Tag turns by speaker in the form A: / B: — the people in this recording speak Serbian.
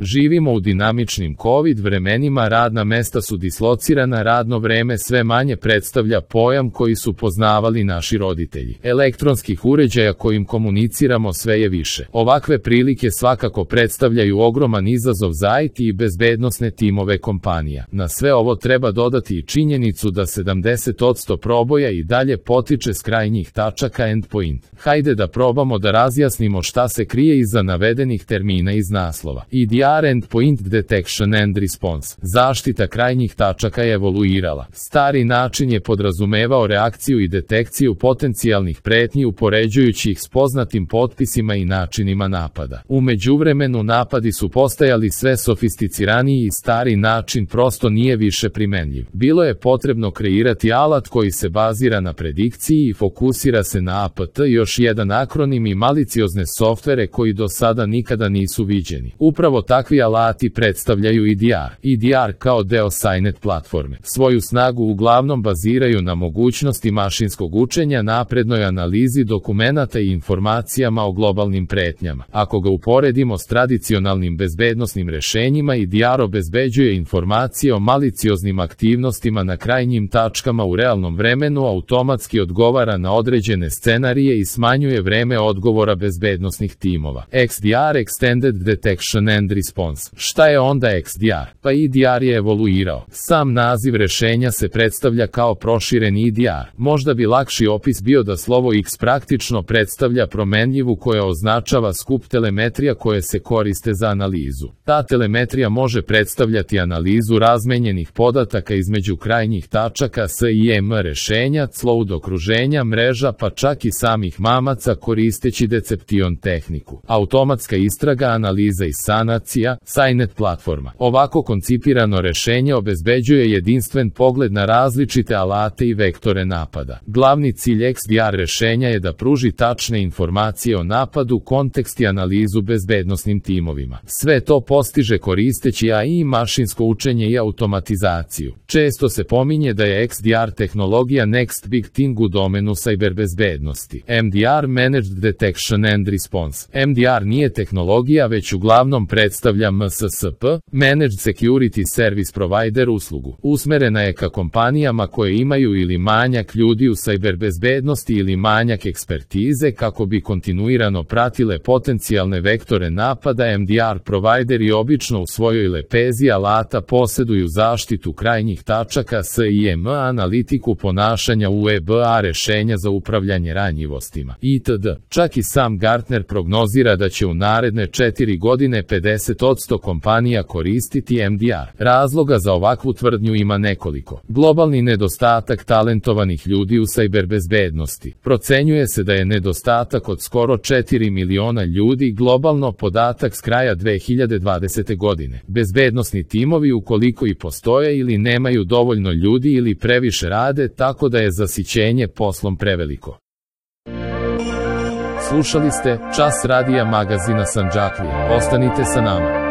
A: Živimo u dinamičnim COVID vremenima, radna mesta su dislocirana, radno vreme sve manje predstavlja pojam koji su poznavali naši roditelji. Elektronskih uređaja kojim komuniciramo sve je više. Ovakve prilike svakako predstavljaju ogroman izazov za IT i bezbednosne timove kompanija. Na sve ovo treba dodati i činjenicu da 70% proboja i dalje potiče s krajnjih tačaka endpoint. Hajde da probamo da razjasnimo šta se krije iza navedenih termina iz naslova. EDR, Endpoint Detection and Response. Zaštita krajnjih tačaka je evoluirala. Stari način je podrazumevao reakciju i detekciju potencijalnih pretnji upoređujući ih s poznatim potpisima i načinima napada. U međuvremenu napadi su postajali sve sofisticiraniji i stari način prosto nije više primenljiv. Bilo je potrebno kreirati alat koji se bazira na predikciji i fokusira se na APT, još jedan akronim, i maliciozne softvere koji do sada nikada nisu viđeni. Upravo takvi alati predstavljaju EDR. EDR kao deo SciNet platforme. Svoju snagu uglavnom baziraju na mogućnosti mašinskog učenja, naprednoj analizi dokumenata i informacijama o globalnim pretnjama. Ako ga uporedimo s tradicionalnim bezbednosnim rešenjima, EDR obezbeđuje informacije o malicioznim aktivnostima na krajnjim tačkama u realnom vremenu, automatski odgovara na određene scenarije i smanjuje vreme odgovora bezbednosnih timova. XDR, Extended Detection and Response. Šta je onda XDR? Pa EDR je evoluirao. Sam naziv rešenja se predstavlja kao prošireni EDR. Možda bi lakši opis bio da slovo X praktično predstavlja promenljivu koja označava skup telemetrija koje se koriste za analizu. Ta telemetrija može predstavljati analizu razmenjenih podataka između krajnjih tačaka SIEM rešenja, cloud okruženja, mreža, pa čak i samih mamaca koristeći deception tehniku. Automatska istraga, analiza i sanacija, SciNet platforma. Ovako koncipirano rešenje obezbeđuje jedinstven pogled na različite alate i vektore napada. Glavni cilj XDR rešenja je da pruži tačne informacije o napadu, kontekst i analizu bezbednosnim timovima. Sve to postiže koristeći AI, mašinsko učenje i automatizaciju. Često se pominje da je XDR tehnologija next big thing u domenu sajberbezbednosti. MDR, Managed Detection and Response. MDR nije tehnologija, već uglavnom predstavlja MSSP, Managed Security Service Provider uslugu. Usmerena je ka kompanijama koje imaju ili manjak ljudi u sajberbezbednosti ili manjak ekspertize kako bi kontinuirano pratile potencijalne vektore napada. MDR provideri obično u svojoj lepezi alata posjeduju zaštitu krajnjih tačaka SIEM, analitiku ponašanja UEBA, rešenja za upravljanje ranjivostima itd. Čak i sam Gartner prognozira da će u naredne 4 godine 50% kompanija koristiti MDR. Razloga za ovakvu tvrdnju ima nekoliko. Globalni nedostatak talentovanih ljudi u sajberbezbednosti. Procenjuje se da je nedostatak od skoro 4 miliona ljudi globalno, podatak s kraja 2020. godine. Bezbednosni timovi, ukoliko i postoje, ili nemaju dovoljno ljudi ili previše rade, tako da je zasićenje poslom preveliko. Slušali ste Čas radija magazina Sandžaklija. Ostanite sa nama.